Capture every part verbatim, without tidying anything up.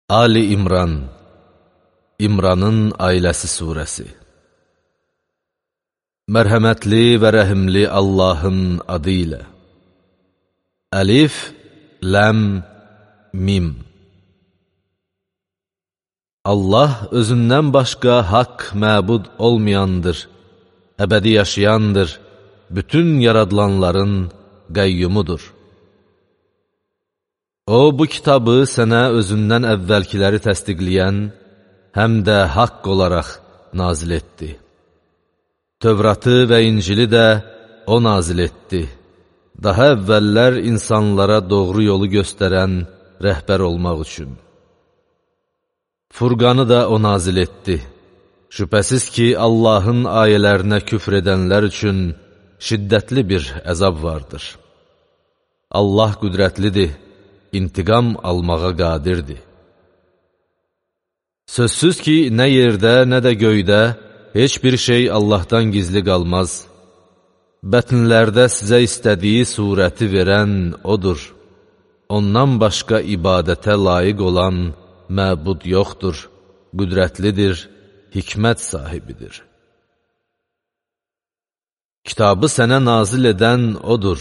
Ali İmran, İmranın ailəsi surəsi. Mərhəmətli və rəhimli Allahın adı ilə. Əlif, ləm, mim. Allah özündən başqa haqq məbud olmayandır, əbədi yaşayandır, bütün yaradılanların qəyyumudur. O, bu kitabı sənə özündən əvvəlkiləri təsdiqləyən, həm də haqq olaraq nazil etdi. Tövratı və İncili də O nazil etdi. Daha əvvəllər insanlara doğru yolu göstərən rəhbər olmaq üçün. Furqanı da O nazil etdi. Şübhəsiz ki, Allahın ayələrinə küfr edənlər üçün şiddətli bir əzab vardır. Allah qüdrətlidir, intiqam almağa qadirdir. Sözsüz ki, nə yerdə, nə də göydə heç bir şey Allahdan gizli qalmaz. Bətnlərdə sizə istədiyi surəti verən O'dur. Ondan başqa ibadətə layiq olan məbud yoxdur, qüdrətlidir, hikmət sahibidir. Kitabı sənə nazil edən O'dur.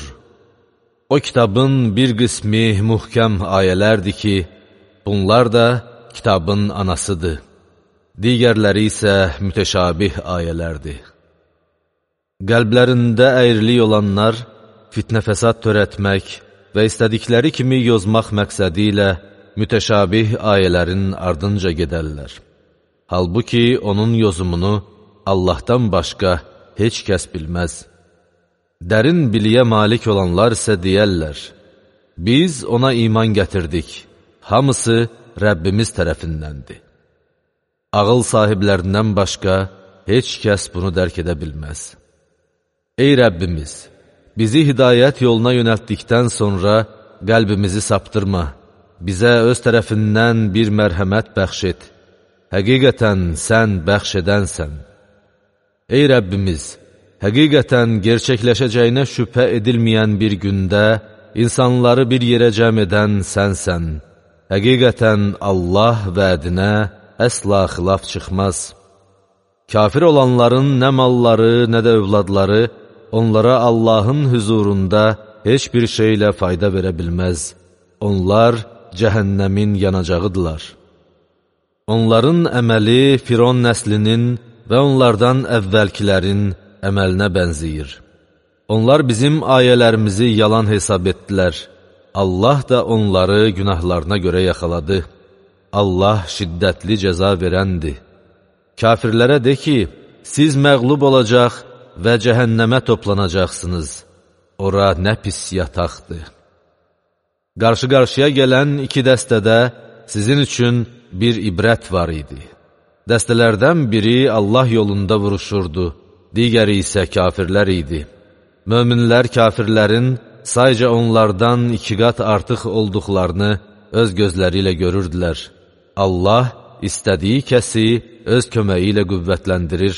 O kitabın bir qismi mühkəm ayələrdir ki, bunlar da kitabın anasıdır. Digərləri isə mütəşabih ayələrdir. Qəlblərində əyrilik olanlar fitnə fəsad törətmək və istədikləri kimi yozmaq məqsədi ilə mütəşabih ayələrin ardınca gedərlər. Halbuki onun yozumunu Allahdan başqa heç kəs bilməz. Dərin biliyə malik olanlar isə deyərlər, biz ona iman gətirdik, hamısı Rəbbimiz tərəfindəndir. Ağıl sahiblərindən başqa heç kəs bunu dərk edə bilməz. Ey Rəbbimiz, bizi hidayət yoluna yönəltdikdən sonra qəlbimizi saptırma, bizə öz tərəfindən bir mərhəmət bəxş et. Həqiqətən sən bəxş edənsən. Ey Rəbbimiz, həqiqətən gerçəkləşəcəyinə şübhə edilməyən bir gündə insanları bir yerə cəm edən sənsən. Həqiqətən Allah vədinə əsla xilaf çıxmaz. Kafir olanların nə malları, nə də övladları onlara Allahın hüzurunda heç bir şeylə fayda verə bilməz. Onlar cəhənnəmin yanacağıdırlar. Onların əməli Firon nəslinin və onlardan əvvəlkilərin əməlinə bənziyir. Onlar bizim ayələrimizi yalan hesab etdilər. Allah da onları günahlarına görə yaxaladı. Allah şiddətli cəza verəndir. Kafirlərə de ki, siz məğlub olacaq və cəhənnəmə toplanacaqsınız. Ora nə pis yataqdır. Qarşı-qarşıya gələn iki dəstədə sizin üçün bir ibrət var idi. Dəstələrdən biri Allah yolunda vuruşurdu, digəri isə kafirlər idi. Möminlər kafirlərin sayca onlardan iki qat artıq olduqlarını öz gözləri ilə görürdülər. Allah istədiyi kəsi öz köməyi ilə qüvvətləndirir.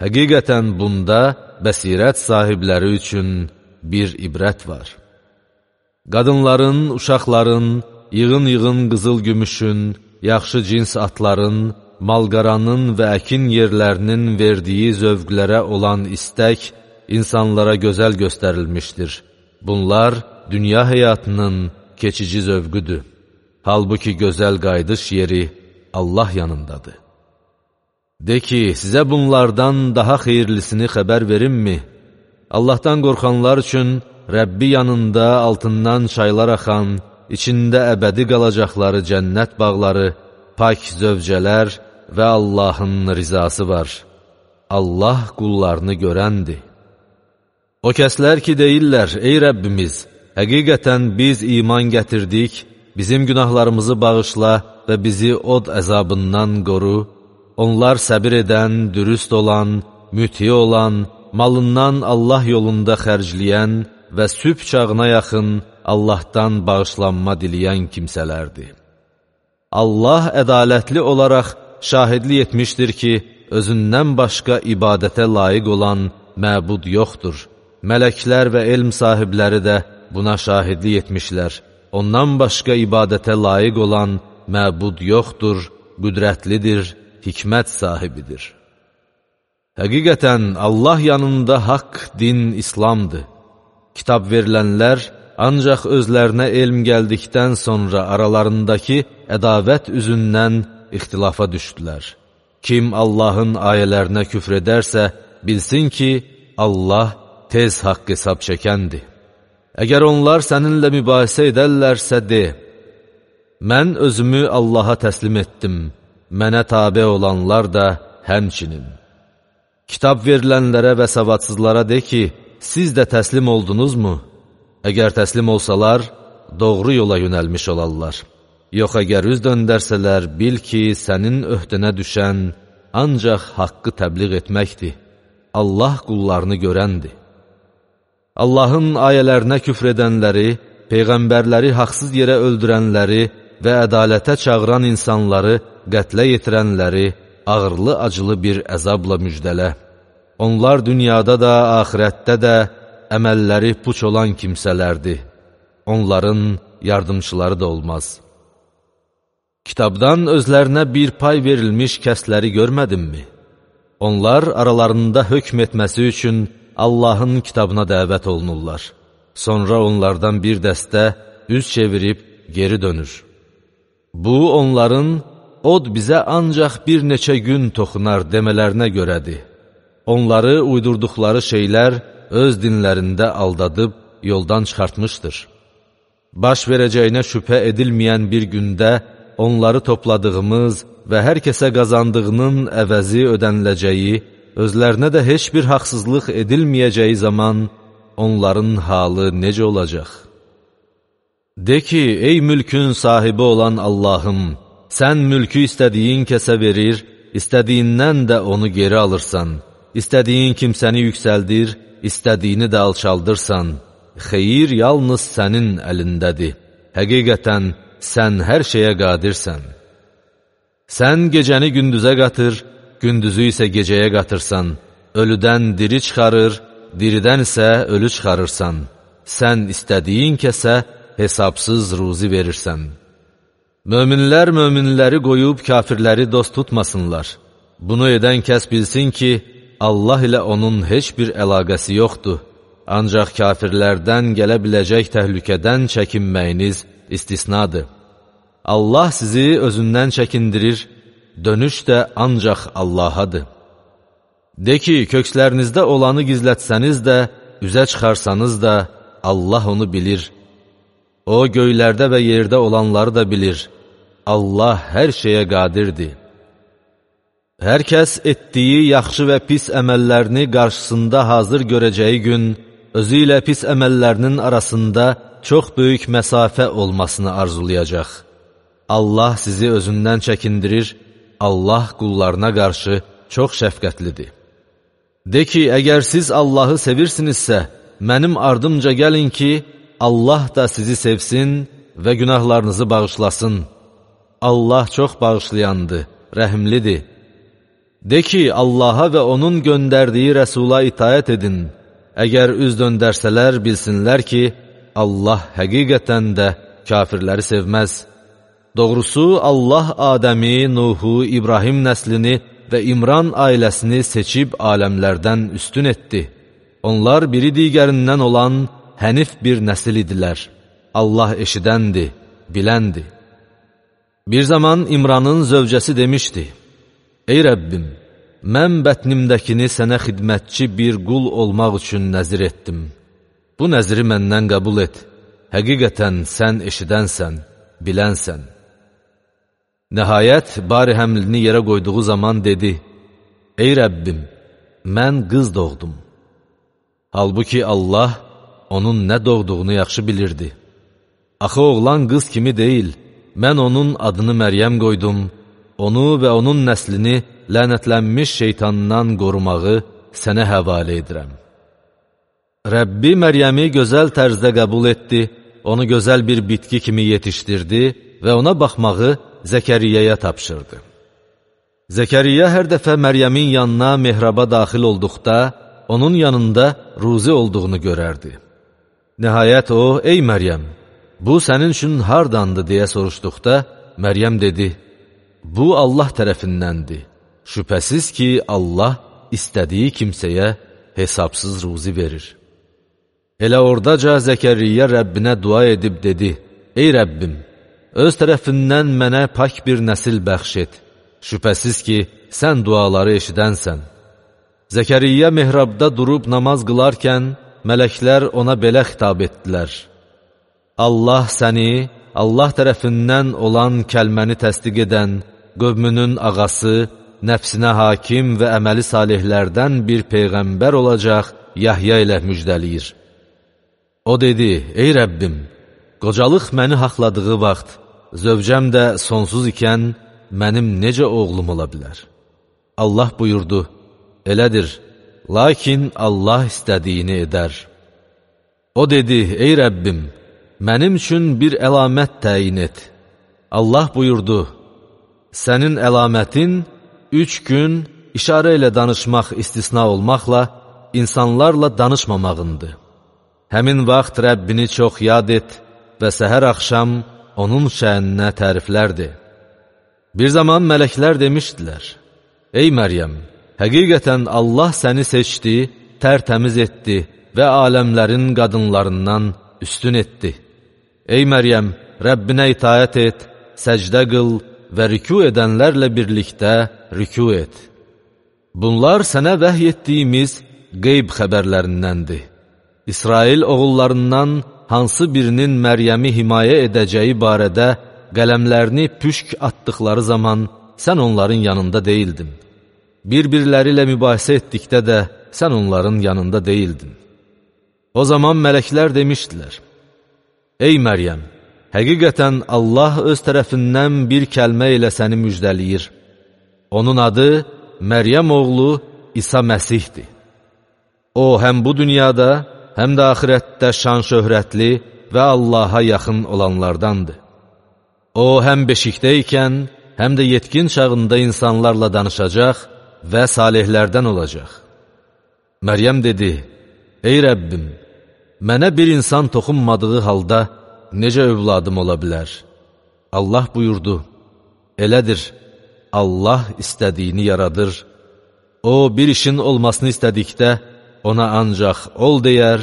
Həqiqətən bunda bəsirət sahibləri üçün bir ibrət var. Qadınların, uşaqların, yığın-yığın qızıl gümüşün, yaxşı cins atların, malqaranın və əkin yerlərinin verdiyi zövqlərə olan istək insanlara gözəl göstərilmişdir. Bunlar dünya həyatının keçici zövqüdür. Halbuki gözəl qayıdış yeri Allah yanındadır. De ki, sizə bunlardan daha xeyirlisini xəbər verimmi? Allahdan qorxanlar üçün Rəbbi yanında altından çaylar axan, içində əbədi qalacaqları cənnət bağları, pak zövcələr və Allahın rizası var. Allah qullarını görəndir. O kəslər ki, deyirlər, ey Rəbbimiz, həqiqətən biz iman gətirdik, bizim günahlarımızı bağışla və bizi od əzabından qoru. Onlar səbir edən, dürüst olan, müti olan, malından Allah yolunda xərcləyən və sübh çağına yaxın Allahdan bağışlanma diləyən kimsələrdir. Allah ədalətli olaraq şahidlik etmişdir ki, özündən başqa ibadətə layiq olan məbud yoxdur. Mələklər və elm sahibləri də buna şahidlik etmişlər. Ondan başqa ibadətə layiq olan məbud yoxdur, qüdrətlidir, hikmət sahibidir. Həqiqətən, Allah yanında haqq din İslamdır. Kitab verilənlər ancaq özlərinə elm gəldikdən sonra aralarındakı ədavət üzündən ixtilafa düşdülər. Kim Allahın ayələrinə küfr edərsə, bilsin ki, Allah tez haqq hesab çəkəndir. Əgər onlar səninlə mübahisə edərlərsə, de, mən özümü Allaha təslim etdim, mənə tabe olanlar da həmçinin. Kitab verilənlərə və savadsızlara de ki, siz də təslim oldunuzmu? Əgər təslim olsalar, doğru yola yönəlmiş olarlar. Yox, əgər üz döndərsələr, bil ki, sənin öhdənə düşən ancaq haqqı təbliğ etməkdir. Allah qullarını görəndir. Allahın ayələrinə küfr edənləri, peyğəmbərləri haqsız yerə öldürənləri və ədalətə çağıran insanları, qətlə yetirənləri ağırlı-acılı bir əzabla müjdələ. Onlar dünyada da, axirətdə də əməlləri puç olan kimsələrdir. Onların yardımçıları da olmaz. Kitabdan özlərinə bir pay verilmiş kəsləri görmədinmi? Onlar aralarında hökm etməsi üçün Allahın kitabına dəvət olunurlar. Sonra onlardan bir dəstə üz çevirib geri dönür. Bu, onların od bizə ancaq bir neçə gün toxunar demələrinə görədir. Onları uydurduqları şeylər öz dinlərində aldadıb yoldan çıxartmışdır. Baş verəcəyinə şübhə edilməyən bir gündə onları topladığımız və hər kəsə qazandığının əvəzi ödəniləcəyi, özlərinə də heç bir haqsızlıq edilməyəcəyi zaman onların halı necə olacaq? De ki, ey mülkün sahibi olan Allahım, sən mülkü istədiyin kəsə verir, istədiyindən də onu geri alırsan, istədiyin kimsəni yüksəldir, istədiyini də alçaldırsan, xeyir yalnız sənin əlindədir. Həqiqətən, sən hər şeyə qadirsən. Sən gecəni gündüzə qatır, gündüzü isə gecəyə qatırsan, ölüdən diri çıxarır, diridən isə ölü çıxarırsan. Sən istədiyin kəsə hesabsız ruzi verirsən. Möminlər möminləri qoyub kafirləri dost tutmasınlar. Bunu edən kəs bilsin ki, Allah ilə onun heç bir əlaqəsi yoxdur. Ancaq kafirlərdən gələ biləcək təhlükədən çəkinməyiniz istisnadır. Allah sizi özündən çəkindirir, dönüş də ancaq Allahadır. De ki, kökslərinizdə olanı gizlətsəniz də, üzə çıxarsanız da, Allah onu bilir. O, göylərdə və yerdə olanları da bilir. Allah hər şeyə qadirdir. Hər kəs etdiyi yaxşı və pis əməllərini qarşısında hazır görəcəyi gün, özü ilə pis əməllərinin arasında çox böyük məsafə olmasını arzulayacaq. Allah sizi özündən çəkindirir, Allah qullarına qarşı çox şəfqətlidir. De ki, əgər siz Allahı sevirsinizsə, mənim ardımca gəlin ki, Allah da sizi sevsin və günahlarınızı bağışlasın. Allah çox bağışlayandır, rəhimlidir. De ki, Allaha və onun göndərdiyi rəsula itaət edin. Əgər üz döndərsələr, bilsinlər ki, Allah həqiqətən də kafirləri sevməz. Doğrusu, Allah Adəmi, Nuhu, İbrahim nəslini və İmran ailəsini seçib aləmlərdən üstün etdi. Onlar biri digərindən olan hənif bir nəsil idilər. Allah eşidəndir, biləndir. Bir zaman İmranın zövcəsi demişdi, ey Rəbbim, mən bətnimdəkini sənə xidmətçi bir qul olmaq üçün nəzir etdim. Bu nəziri məndən qəbul et. Həqiqətən sən eşidənsən, bilənsən. Nəhayət, bari həmlini yerə qoyduğu zaman dedi, ey Rəbbim, mən qız doğdum. Halbuki Allah onun nə doğduğunu yaxşı bilirdi. Axı oğlan qız kimi deyil, mən onun adını Məryəm qoydum, onu və onun nəslini lənətlənmiş şeytandan qorumağı sənə həvalə edirəm. Rəbbi Məryəmi gözəl tərzdə qəbul etdi, onu gözəl bir bitki kimi yetişdirdi və ona baxmağı Zəkəriyyəyə tapşırdı. Zəkəriyyə hər dəfə Məryəmin yanına mehraba daxil olduqda, onun yanında ruzi olduğunu görərdi. Nəhayət o, ey Məryəm, bu sənin üçün hardandı deyə soruşduqda, Məryəm dedi, bu Allah tərəfindəndir. Şübhəsiz ki, Allah istədiyi kimsəyə hesabsız ruzi verir. Elə oradaca Zəkəriyyə Rəbbinə dua edib dedi, ey Rəbbim, öz tərəfindən mənə pak bir nəsil bəxş et. Şübhəsiz ki, sən duaları eşidənsən. Zəkəriyyə mihrabda durub namaz qılarkən, mələklər ona belə xitab etdilər. Allah səni, Allah tərəfindən olan kəlməni təsdiq edən, qövmünün ağası, nəfsinə hakim və əməli salihlərdən bir peyğəmbər olacaq Yahya ilə müjdəliyir. O dedi, ey Rəbbim, qocalıq məni haqladığı vaxt, zövcəm də sonsuz ikən, mənim necə oğlum ola bilər? Allah buyurdu, elədir, lakin Allah istədiyini edər. O dedi, ey Rəbbim, mənim üçün bir əlamət təyin et. Allah buyurdu, sənin əlamətin üç gün işarə ilə danışmaq istisna olmaqla insanlarla danışmamağındır. Həmin vaxt Rəbbini çox yad et və səhər axşam onun şəninə təriflərdir. Bir zaman mələklər demişdilər, ey Məryəm, həqiqətən Allah səni seçdi, tərtəmiz etdi və aləmlərin qadınlarından üstün etdi. Ey Məryəm, Rəbbinə itaət et, səcdə qıl və rükû edənlərlə birlikdə rükû et. Bunlar sənə vəhy etdiyimiz qeyb xəbərlərindəndir. İsrail oğullarından hansı birinin Məryəmi himayə edəcəyi barədə qələmlərini püşk atdıqları zaman sən onların yanında deyildin. Bir-birləri ilə mübahisə etdikdə də sən onların yanında deyildin. O zaman mələklər demişdilər, ey Məryəm, həqiqətən Allah öz tərəfindən bir kəlmə ilə səni müjdəliyir. Onun adı Məryəm oğlu İsa Məsihdir. O, həm bu dünyada, həm də axirətdə şan-şöhrətli və Allaha yaxın olanlardandır. O, həm beşikdəykən, həm də yetkin çağında insanlarla danışacaq və salihlərdən olacaq. Məryəm dedi, ey Rəbbim, mənə bir insan toxunmadığı halda necə övladım ola bilər? Allah buyurdu, elədir, Allah istədiyini yaradır. O, bir işin olmasını istədikdə, ona ancaq ol deyər,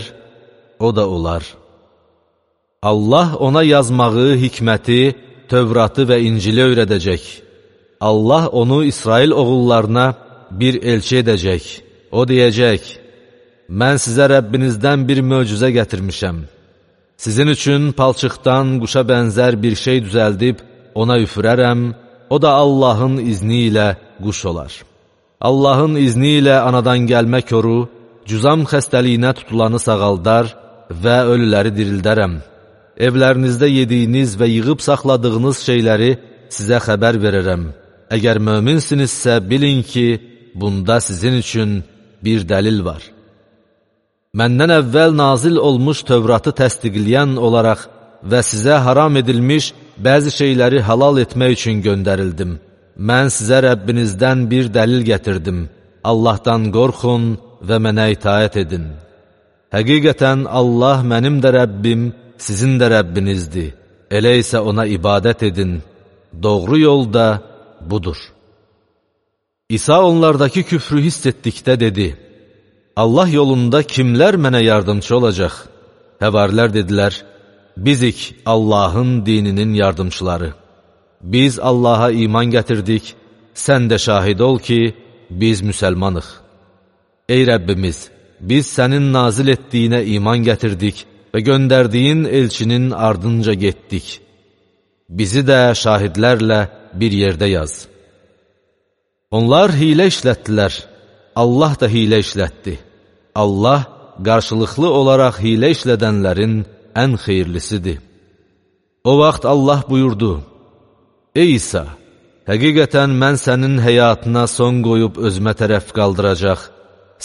o da olar. Allah ona yazmağı, hikməti, Tövratı və İncili öyrədəcək. Allah onu İsrail oğullarına bir elçi edəcək. O deyəcək, mən sizə Rəbbinizdən bir möcüzə gətirmişəm. Sizin üçün palçıqdan quşa bənzər bir şey düzəldib, ona üfürərəm, o da Allahın izni ilə quş olar. Allahın izni ilə anadan gəlmə koru, cüzam xəstəliyinə tutulanı sağaldar və ölüləri dirildərəm. Evlərinizdə yediyiniz və yığıb saxladığınız şeyləri sizə xəbər verərəm. Əgər möminsinizsə bilin ki, bunda sizin üçün bir dəlil var. Məndən əvvəl nazil olmuş Tövratı təsdiqləyən olaraq və sizə haram edilmiş bəzi şeyləri halal etmək üçün göndərildim. Mən sizə Rəbbinizdən bir dəlil gətirdim. Allahdan qorxun və mənə itaət edin. Həqiqətən Allah mənim də Rəbbim, sizin də Rəbbinizdir. Elə isə ona ibadət edin. Doğru yol da budur. İsa onlardakı küfrü hiss etdikdə dedi, Allah yolunda kimlər mənə yardımcı olacaq? Həvarilər dedilər, bizik Allahın dininin yardımçıları. Biz Allaha iman gətirdik, sən də şahid ol ki, biz müsəlmanıq. Ey Rəbbimiz, biz sənin nazil etdiyinə iman gətirdik və göndərdiyin elçinin ardınca getdik. Bizi də şahidlərlə bir yerdə yaz. Onlar hilə işlətdilər, Allah da hilə işlətdi. Allah qarşılıqlı olaraq hilə işlədənlərin ən xeyirlisidir. O vaxt Allah buyurdu, ey İsa, həqiqətən mən sənin həyatına son qoyub özümə tərəf qaldıracaq,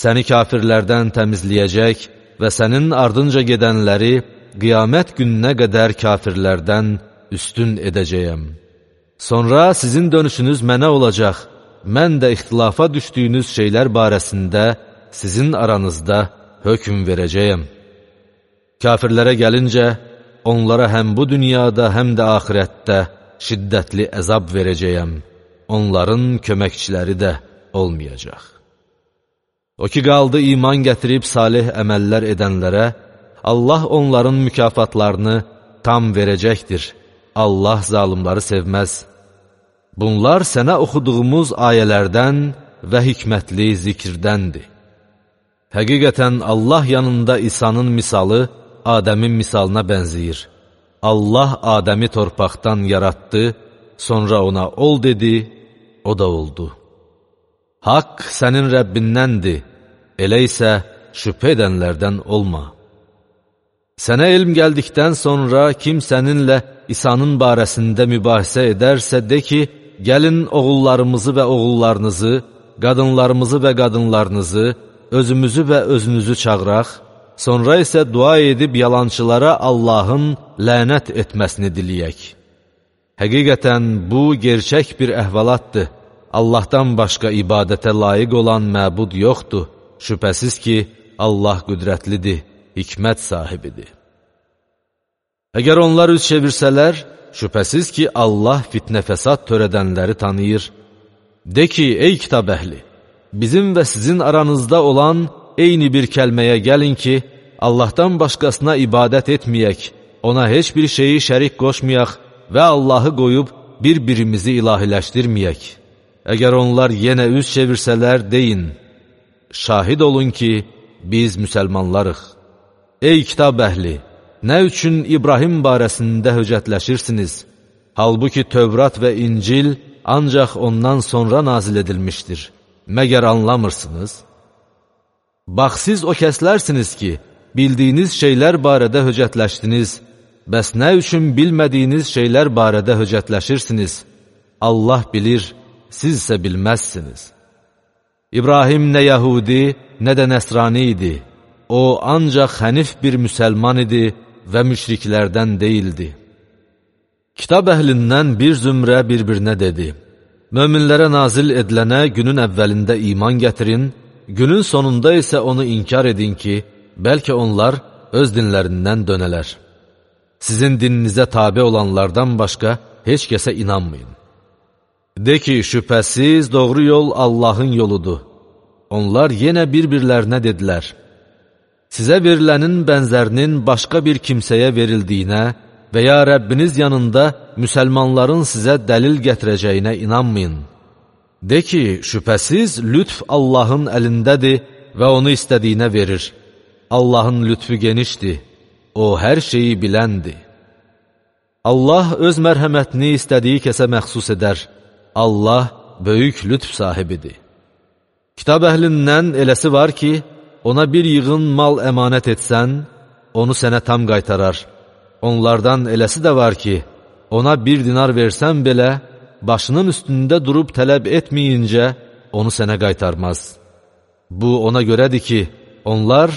səni kafirlərdən təmizləyəcək və sənin ardınca gedənləri qiyamət gününə qədər kafirlərdən üstün edəcəyəm. Sonra sizin dönüşünüz mənə olacaq, mən də ixtilafa düşdüyünüz şeylər barəsində sizin aranızda hökm verəcəyəm. Kafirlərə gəlincə, onlara həm bu dünyada, həm də axirətdə şiddətli əzab verəcəyəm, onların köməkçiləri də olmayacaq. O ki, qaldı iman gətirib salih əməllər edənlərə, Allah onların mükafatlarını tam verəcəkdir. Allah zalımları sevməz. Bunlar sənə oxuduğumuz ayələrdən və hikmətli zikirdəndir. Həqiqətən Allah yanında İsa'nın misalı Adəmin misalına bənzəyir. Allah Adəmi torpaqdan yaratdı, sonra ona ol dedi, o da oldu. Haqq sənin Rəbbindəndir, elə isə şübhə edənlərdən olma. Sənə elm gəldikdən sonra kim səninlə İsa'nın barəsində mübahisə edərsə, de ki, gəlin oğullarımızı və oğullarınızı, qadınlarımızı və qadınlarınızı, özümüzü və özünüzü çağıraq, sonra isə dua edib yalançılara Allahın lənət etməsini diləyək. Həqiqətən bu gerçək bir əhvalatdır. Allahdan başqa ibadətə layiq olan məbud yoxdur. Şübhəsiz ki, Allah qüdrətlidir, hikmət sahibidir. Əgər onlar üz çevirsələr, şübhəsiz ki, Allah fitnə fəsad törədənləri tanıyır. De ki, ey kitab əhli, bizim və sizin aranızda olan eyni bir kəlməyə gəlin ki, Allahdan başqasına ibadət etməyək, ona heç bir şeyi şərik qoşmayaq və Allahı qoyub bir-birimizi ilahiləşdirməyək. Əgər onlar yenə üz çevirsələr, deyin, şahid olun ki, biz müsəlmanlarıq. Ey kitab əhli, nə üçün İbrahim barəsində höcətləşirsiniz? Halbuki Tövrat və İncil ancaq ondan sonra nazil edilmişdir. Məgər anlamırsınız? Bax, siz o kəslərsiniz ki, bildiyiniz şeylər barədə höcətləşdiniz, bəs nə üçün bilmədiyiniz şeylər barədə höcətləşirsiniz? Allah bilir, siz isə bilməzsiniz. İbrahim nə Yahudi, nə də Nəsrani idi. O, ancaq hənif bir müsəlman idi və müşriklərdən deyildi. Kitab əhlindən bir zümrə bir-birinə dedi, möminlərə nazil edilənə günün əvvəlində iman gətirin, günün sonunda isə onu inkar edin ki, bəlkə onlar öz dinlərindən dönələr. Sizin dininizə tabe olanlardan başqa heç kəsə inanmayın. De ki, şübhəsiz doğru yol Allahın yoludur. Onlar yenə bir-birlərinə dedilər, sizə verilənin bənzərinin başqa bir kimsəyə verildiyinə və ya Rəbbiniz yanında müsəlmanların sizə dəlil gətirəcəyinə inanmayın. De ki, şübhəsiz lütf Allahın əlindədir və onu istədiyinə verir. Allahın lütfü genişdir, o hər şeyi biləndir. Allah öz mərhəmətini istədiyi kəsə məxsus edər. Allah böyük lütf sahibidir. Kitab əhlindən eləsi var ki, ona bir yığın mal əmanət etsən, onu sənə tam qaytarar. Onlardan eləsi də var ki, ona bir dinar versən belə, başının üstündə durub tələb etməyincə, onu sənə qaytarmaz. Bu ona görədir ki, onlar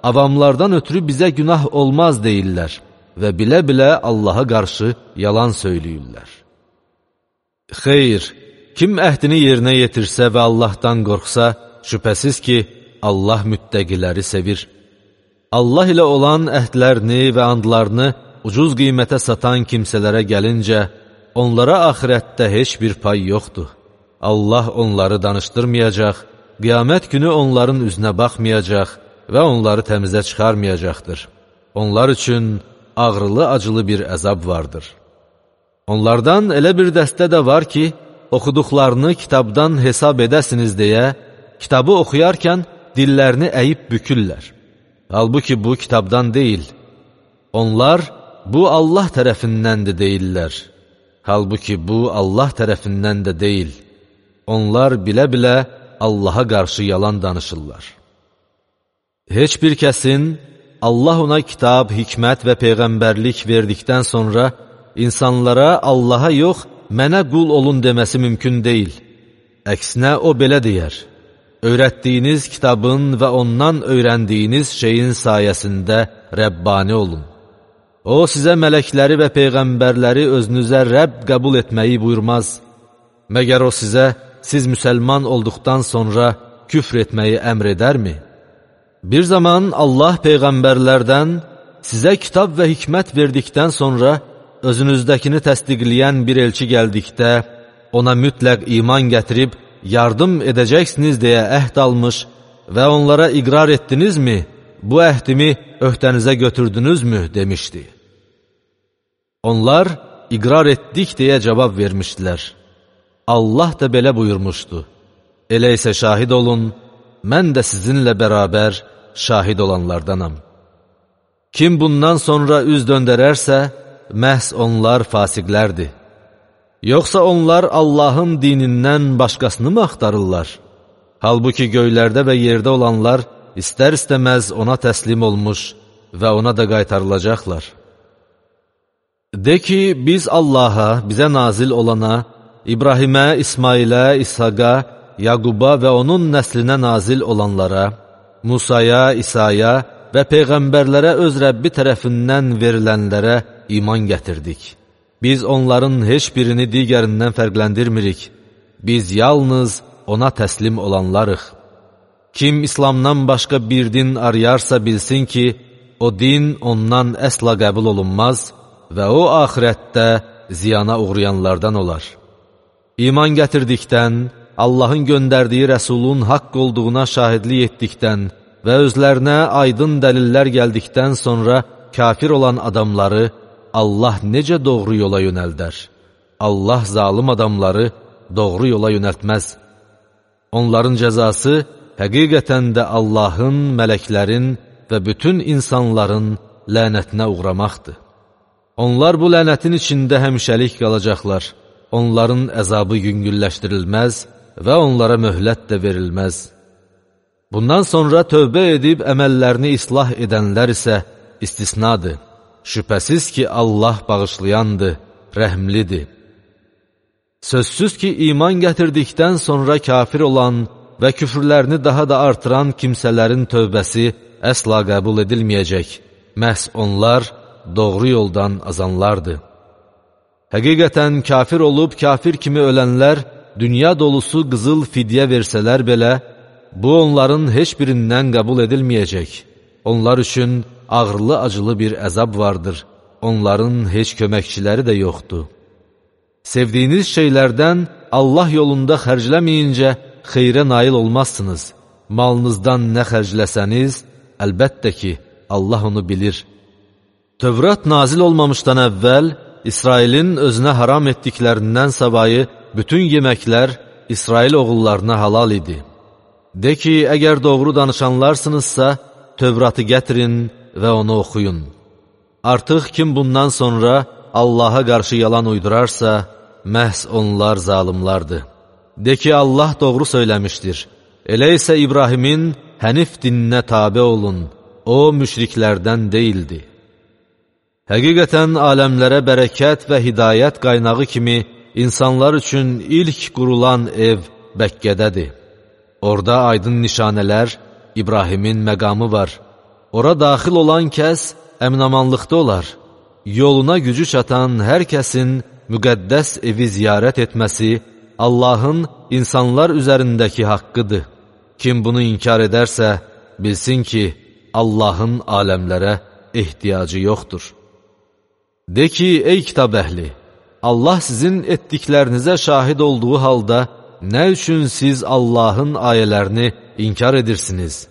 avamlardan ötürü bizə günah olmaz deyirlər və bilə-bilə Allaha qarşı yalan söyləyirlər. Xeyr, kim əhdini yerinə yetirsə və Allahdan qorxsa, şübhəsiz ki, Allah müttəqiləri sevir. Allah ilə olan əhdlərini və andlarını ucuz qiymətə satan kimsələrə gəlincə, onlara axirətdə heç bir pay yoxdur. Allah onları danışdırmayacaq, qiyamət günü onların üzünə baxmayacaq və onları təmizə çıxarmayacaqdır. Onlar üçün ağrılı-acılı bir əzab vardır. Onlardan elə bir dəstə də var ki, oxuduqlarını kitabdan hesab edəsiniz deyə, kitabı oxuyarkən dillərini əyib bükürlər. Halbuki bu kitabdan deyil. Onlar, bu Allah tərəfindəndir deyirlər. Halbuki bu Allah tərəfindən də deyil. Onlar bilə-bilə Allaha qarşı yalan danışırlar. Heç bir kəsin Allah ona kitab, hikmət və peyğəmbərlik verdikdən sonra insanlara Allaha yox, mənə qul olun deməsi mümkün deyil. Əksinə o belə deyər, öyrətdiyiniz kitabın və ondan öyrəndiyiniz şeyin sayəsində Rəbbani olun. O, sizə mələkləri və peyğəmbərləri özünüzə Rəbb qəbul etməyi buyurmaz. Məgər o sizə, siz müsəlman olduqdan sonra küfr etməyi əmr edərmi? Bir zaman Allah peyğəmbərlərdən sizə kitab və hikmət verdikdən sonra özünüzdəkini təsdiqləyən bir elçi gəldikdə, ona mütləq iman gətirib, yardım edəcəksiniz deyə əhd almış və onlara iqrar etdinizmi, bu əhdimi öhdənizə götürdünüzmü, demişdi. Onlar, iqrar etdik deyə cavab vermişdilər. Allah da belə buyurmuşdu. Elə isə şahid olun, mən də sizinlə bərabər şahid olanlardanam. Kim bundan sonra üz döndərərsə, məhz onlar fasiqlərdir. Yoxsa onlar Allahın dinindən başqasını mı axtarırlar? Halbuki göylərdə və yerdə olanlar istər-istəməz ona təslim olmuş və ona da qaytarılacaqlar. De ki, biz Allaha, bizə nazil olana, İbrahimə, İsmailə, İshaqa, Yaquba və onun nəslinə nazil olanlara, Musaya, İsaya və Peyğəmbərlərə öz Rəbbi tərəfindən verilənlərə iman gətirdik. Biz onların heç birini digərindən fərqləndirmirik. Biz yalnız ona təslim olanlarıq. Kim İslamdan başqa bir din arayarsa bilsin ki, o din ondan əsla qəbul olunmaz və o axirətdə ziyana uğrayanlardan olar. İman gətirdikdən, Allahın göndərdiyi rəsulun haqq olduğuna şahidlik etdikdən və özlərinə aydın dəlillər gəldikdən sonra kafir olan adamları Allah necə doğru yola yönəldər? Allah zalım adamları doğru yola yönəltməz. Onların cəzası həqiqətən də Allahın, mələklərin və bütün insanların lənətinə uğramaqdır. Onlar bu lənətin içində həmişəlik qalacaqlar. Onların əzabı yüngülləşdirilməz və onlara möhlət də verilməz. Bundan sonra tövbə edib əməllərini islah edənlər isə istisnadır. Şübhəsiz ki, Allah bağışlayandır, rəhmlidir. Sözsüz ki, iman gətirdikdən sonra kafir olan və küfrlərini daha da artıran kimsələrin tövbəsi əsla qəbul edilməyəcək. Məhz onlar doğru yoldan azanlardır. Həqiqətən kafir olub kafir kimi ölənlər dünya dolusu qızıl fidyə versələr belə, bu onların heç birindən qəbul edilməyəcək. Onlar üçün ağırlı-acılı bir əzab vardır. Onların heç köməkçiləri də yoxdur. Sevdiyiniz şeylərdən Allah yolunda xərcləməyincə xeyrə nail olmazsınız. Malınızdan nə xərcləsəniz, əlbəttə ki, Allah onu bilir. Tövrat nazil olmamışdan əvvəl, İsrailin özünə haram etdiklərindən savayı bütün yeməklər İsrail oğullarına halal idi. De ki, əgər doğru danışanlarsınızsa, Tövratı gətirin və onu oxuyun. Artıq kim bundan sonra Allaha qarşı yalan uydurarsa, məhz onlar zalimlardır. De ki, Allah doğru söyləmişdir. Elə isə İbrahimin hənif dininə tabe olun. O, müşriklərdən deyildi. Həqiqətən aləmlərə bərəkət və hidayət qaynağı kimi insanlar üçün ilk qurulan ev Bəkkədədir. Orada aydın nişanələr, İbrahimin məqamı var. Ora daxil olan kəs əminamanlıqda olar. Yoluna gücü çatan hər kəsin müqəddəs evi ziyarət etməsi Allahın insanlar üzərindəki haqqıdır. Kim bunu inkar edərsə, bilsin ki, Allahın aləmlərə ehtiyacı yoxdur. De ki, ey kitab əhli, Allah sizin etdiklərinizə şahid olduğu halda, nə üçün siz Allahın ayələrini inkar edirsiniz?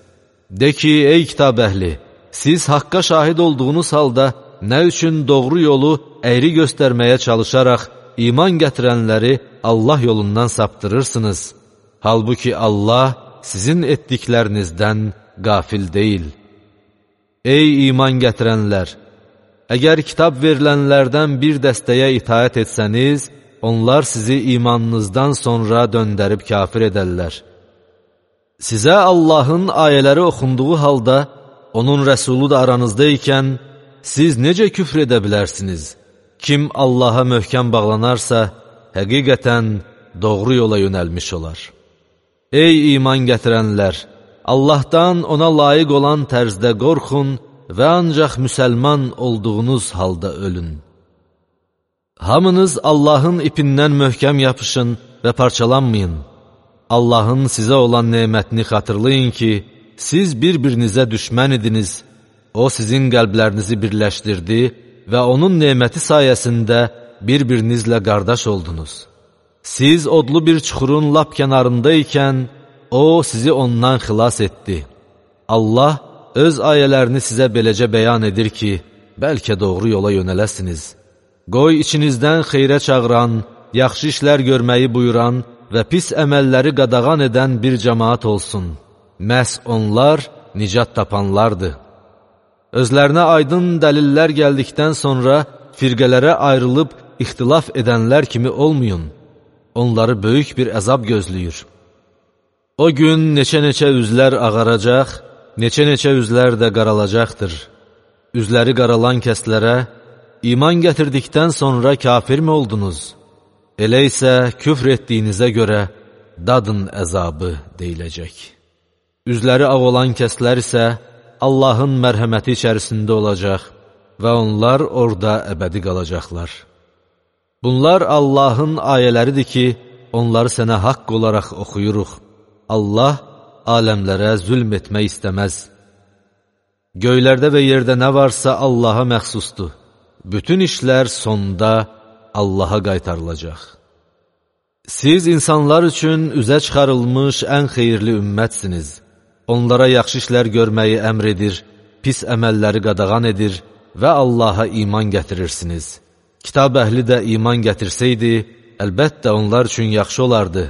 De ki, ey kitab əhli, siz haqqa şahid olduğunuz halda, nə üçün doğru yolu əyri göstərməyə çalışaraq, iman gətirənləri Allah yolundan saptırırsınız? Halbuki Allah sizin etdiklərinizdən qafil deyil. Ey iman gətirənlər! Əgər kitab verilənlərdən bir dəstəyə itaət etsəniz, onlar sizi imanınızdan sonra döndərib kafir edərlər. Sizə Allahın ayələri oxunduğu halda, onun rəsulu da aranızda ikən, siz necə küfr edə bilərsiniz? Kim Allaha möhkəm bağlanarsa, həqiqətən doğru yola yönəlmiş olar. Ey iman gətirənlər! Allahdan ona layiq olan tərzdə qorxun və ancaq müsəlman olduğunuz halda ölün. Hamınız Allahın ipindən möhkəm yapışın və parçalanmayın. Allahın sizə olan nemətini xatırlayın ki, siz bir-birinizə düşmən idiniz. O sizin qəlblərinizi birləşdirdi və onun neməti sayəsində bir-birinizlə qardaş oldunuz. Siz odlu bir çuxurun lap kənarında ikən, O sizi ondan xilas etdi. Allah öz ayələrini sizə beləcə bəyan edir ki, bəlkə doğru yola yönələsiniz. Qoy içinizdən xeyrə çağıran, yaxşı işlər görməyi buyuran və pis əməlləri qadağan edən bir cəmaat olsun. Məhz onlar nicat tapanlardır. Özlərinə aydın dəlillər gəldikdən sonra firqələrə ayrılıb ixtilaf edənlər kimi olmayın. Onları böyük bir əzab gözləyir. O gün neçə-neçə üzlər ağaracaq, neçə-neçə üzlər də qaralacaqdır. Üzləri qaralan kəslərə, iman gətirdikdən sonra kafirmi oldunuz? Elə isə küfr etdiyinizə görə dadın əzabı deyiləcək. Üzləri ağ olan kəslər isə Allahın mərhəməti içərisində olacaq və onlar orada əbədi qalacaqlar. Bunlar Allahın ayələridir ki, onları sənə haqq olaraq oxuyuruq. Allah aləmlərə zülm etmək istəməz. Göylərdə və yerdə nə varsa Allaha məxsusdur. Bütün işlər sonda Allaha qaytarılacaq. Siz insanlar üçün üzə çıxarılmış ən xeyirli ümmətsiniz. Onlara yaxşı işlər görməyi əmr edir, pis əməlləri qadağan edir və Allaha iman gətirirsiniz. Kitab əhli də iman gətirsəydi, əlbəttə onlar üçün yaxşı olardı.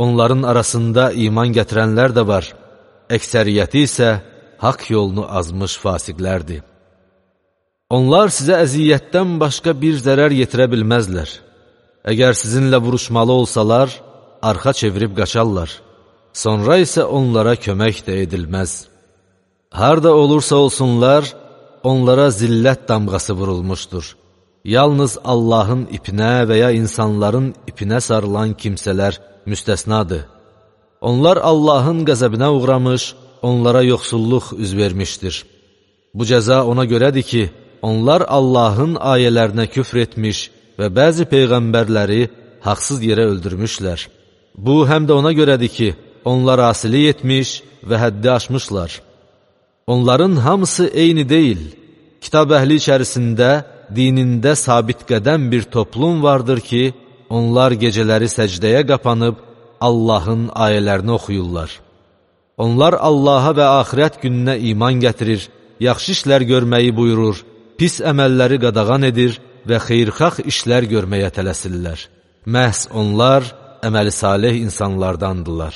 Onların arasında iman gətirənlər də var. Əksəriyyəti isə haqq yolunu azmış fasiqlərdir. Onlar sizə əziyyətdən başqa bir zərər yetirə bilməzlər. Əgər sizinlə vuruşmalı olsalar, arxa çevirib qaçarlar. Sonra isə onlara kömək də edilməz. Harda olursa olsunlar, onlara zillət damğası vurulmuşdur. Yalnız Allahın ipinə və ya insanların ipinə sarılan kimsələr müstəsnadır. Onlar Allahın qəzəbinə uğramış, onlara yoxsulluq üz vermişdir. Bu cəza ona görədir ki, onlar Allahın ayələrinə küfr etmiş və bəzi peyğəmbərləri haqsız yerə öldürmüşlər. Bu, həm də ona görədir ki, onlar asilik etmiş və həddi aşmışlar. Onların hamısı eyni deyil. Kitab əhli içərisində, dinində sabit qədəm bir toplum vardır ki, onlar gecələri səcdəyə qapanıb Allahın ayələrini oxuyurlar. Onlar Allaha və axirət gününə iman gətirir, yaxşı işlər görməyi buyurur, pis əməlləri qadağan edir və xeyrxax işlər görməyə tələsirlər. Məhz onlar əməli salih insanlardandırlar.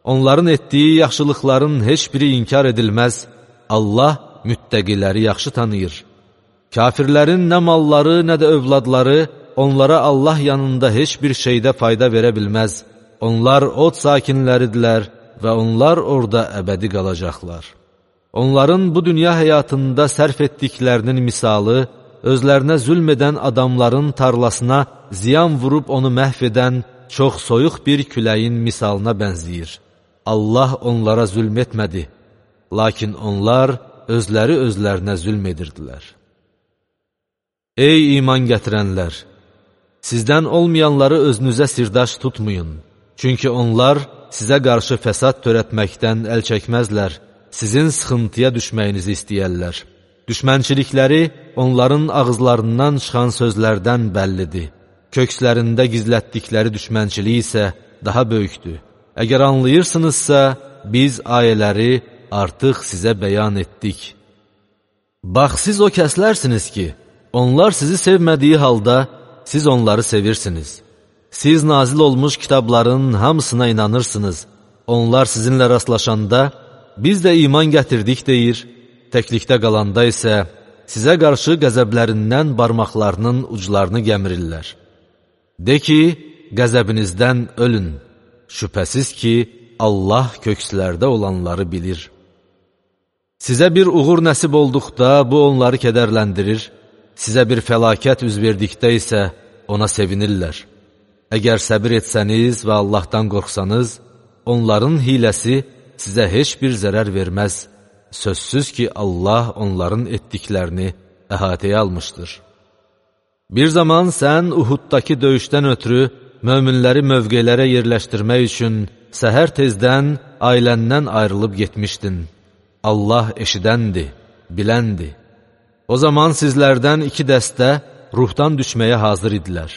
Onların etdiyi yaxşılıqların heç biri inkar edilməz, Allah müttəqiləri yaxşı tanıyır. Kafirlərin nə malları, nə də övladları onlara Allah yanında heç bir şeydə fayda verə bilməz. Onlar od sakinləridirlər və onlar orada əbədi qalacaqlar. Onların bu dünya həyatında sərf etdiklərinin misalı, özlərinə zülm edən adamların tarlasına ziyan vurub onu məhv edən çox soyuq bir küləyin misalına bənzəyir. Allah onlara zülm etmədi, lakin onlar özləri özlərinə zülm edirdilər. Ey iman gətirənlər! Sizdən olmayanları özünüzə sirdaş tutmayın. Çünki onlar sizə qarşı fəsad törətməkdən əl çəkməzlər, sizin sıxıntıya düşməyinizi istəyərlər. Düşmənçilikləri onların ağızlarından çıxan sözlərdən bəllidir. Kökslərində gizlətdikləri düşmənçilik isə daha böyükdür. Əgər anlayırsınızsa, biz ayələri artıq sizə bəyan etdik. Bax, siz o kəslərsiniz ki, onlar sizi sevmədiyi halda siz onları sevirsiniz. Siz nazil olmuş kitabların hamısına inanırsınız. Onlar sizinlə rastlaşanda, biz də iman gətirdik deyir, təklikdə qalanda isə sizə qarşı qəzəblərindən barmaqlarının uclarını gəmirirlər. De ki, qəzəbinizdən ölün. Şübhəsiz ki, Allah kökslərdə olanları bilir. Sizə bir uğur nəsib olduqda bu onları kədərləndirir, sizə bir fəlakət üz verdikdə isə ona sevinirlər. Əgər səbir etsəniz və Allahdan qorxsanız, onların hiləsi sizə heç bir zərər verməz. Sözsüz ki, Allah onların etdiklərini əhatəyə almışdır. Bir zaman sən Uhuddakı döyüşdən ötürü möminləri mövqelərə yerləşdirmək üçün səhər tezdən ailəndən ayrılıb getmişdin. Allah eşidəndir, biləndir. O zaman sizlərdən iki dəstə ruhdan düşməyə hazır idilər.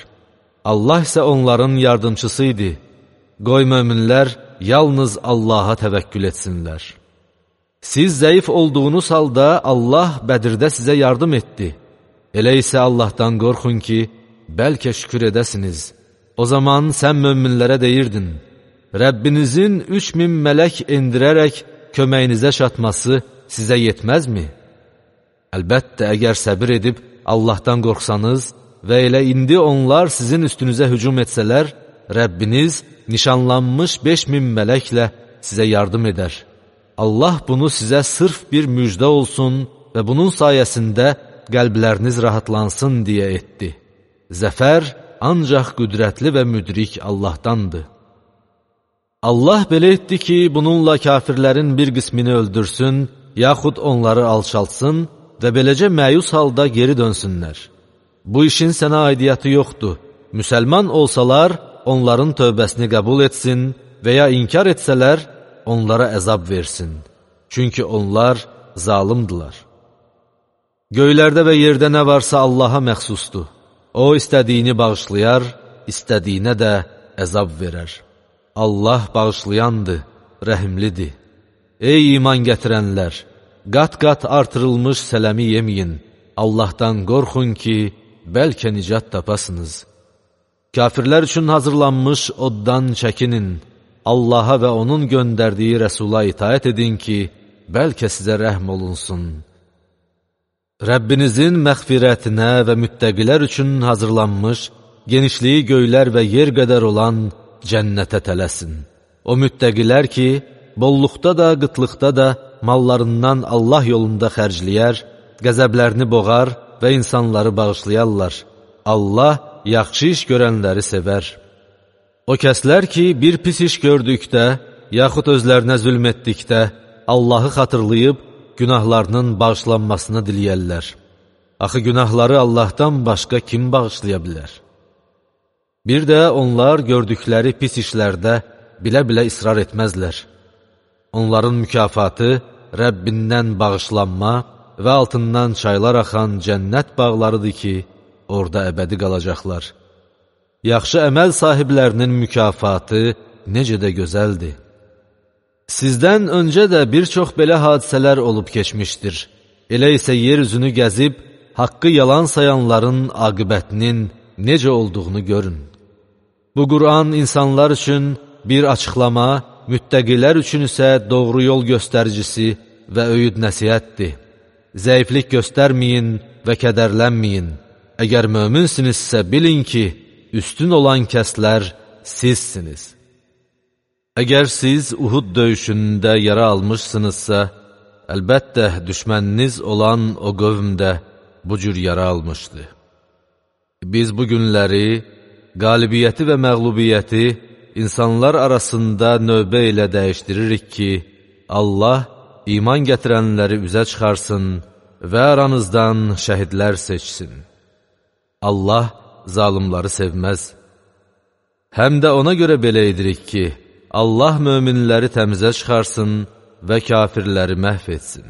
Allah isə onların yardımçısı idi. Qoy möminlər yalnız Allaha təvəkkül etsinlər. Siz zəif olduğunuz halda Allah Bədirdə sizə yardım etdi. Elə isə Allahdan qorxun ki, bəlkə şükür edəsiniz. O zaman sən möminlərə deyirdin, Rəbbinizin üç min mələk endirərək köməyinizə çatması sizə yetməzmi? Əlbəttə, əgər səbir edib Allahdan qorxsanız və elə indi onlar sizin üstünüzə hücum etsələr, Rəbbiniz nişanlanmış beş min mələklə sizə yardım edər. Allah bunu sizə sırf bir müjdə olsun və bunun sayəsində qəlbləriniz rahatlansın deyə etdi. Zəfər ancaq qüdrətli və müdrik Allahdandır. Allah belə etdi ki, bununla kafirlərin bir qismini öldürsün, yaxud onları alçaltsın və beləcə məyus halda geri dönsünlər. Bu işin sənə aidiyyatı yoxdur. Müsəlman olsalar, onların tövbəsini qəbul etsin və ya inkar etsələr, onlara əzab versin. Çünki onlar zalimdilər. Göylərdə və yerdə nə varsa Allaha məxsusdur. O, istədiyini bağışlayar, istədiyinə də əzab verər. Allah bağışlayandır, rəhimlidir. Ey iman gətirənlər! Qat-qat artırılmış sələmi yeməyin. Allahdan qorxun ki, bəlkə nicat tapasınız. Kafirlər üçün hazırlanmış oddan çəkinin. Allaha və onun göndərdiyi rəsula itaət edin ki, bəlkə sizə rəhm olunsun. Rəbbinizin məğfirətinə və müttəqilər üçün hazırlanmış, genişliyi göylər və yer qədər olan cənnətə tələsin. O müttəqilər ki, bolluqda da, qıtlıqda da mallarından Allah yolunda xərcləyər, qəzəblərini boğar və insanları bağışlayarlar. Allah yaxşı iş görənləri sevər. O kəslər ki, bir pis iş gördükdə, yaxud özlərinə zülm etdikdə, Allahı xatırlayıb, günahlarının bağışlanmasını diləyərlər. Axı günahları Allahdan başqa kim bağışlaya bilər? Bir də onlar gördükləri pis işlərdə bilə-bilə israr etməzlər. Onların mükafatı Rəbbindən bağışlanma və altından çaylar axan cənnət bağlarıdır ki, orada əbədi qalacaqlar. Yaxşı əməl sahiblərinin mükafatı necə də gözəldir. Sizdən öncə də bir çox belə hadisələr olub keçmişdir. Elə isə yer üzünü gəzib, haqqı yalan sayanların aqibətinin necə olduğunu görün. Bu Qur'an insanlar üçün bir açıqlama, müttəqilər üçün isə doğru yol göstəricisi və öyüd nəsihətdir. Zəiflik göstərməyin və kədərlənməyin. Əgər möminsinizsə bilin ki, üstün olan kəslər sizsiniz. Əgər siz Uhud döyüşündə yara almışsınızsa, əlbəttə düşməniniz olan o qövm də bu cür yara almışdı. Biz bu günləri, qalibiyyəti və məğlubiyyəti insanlar arasında növbə ilə dəyişdiririk ki, Allah iman gətirənləri üzə çıxarsın və aranızdan şəhidlər seçsin. Allah zalimları sevməz. Həm də ona görə belə edirik ki, Allah möminləri təmizə çıxarsın və kafirləri məhv etsin.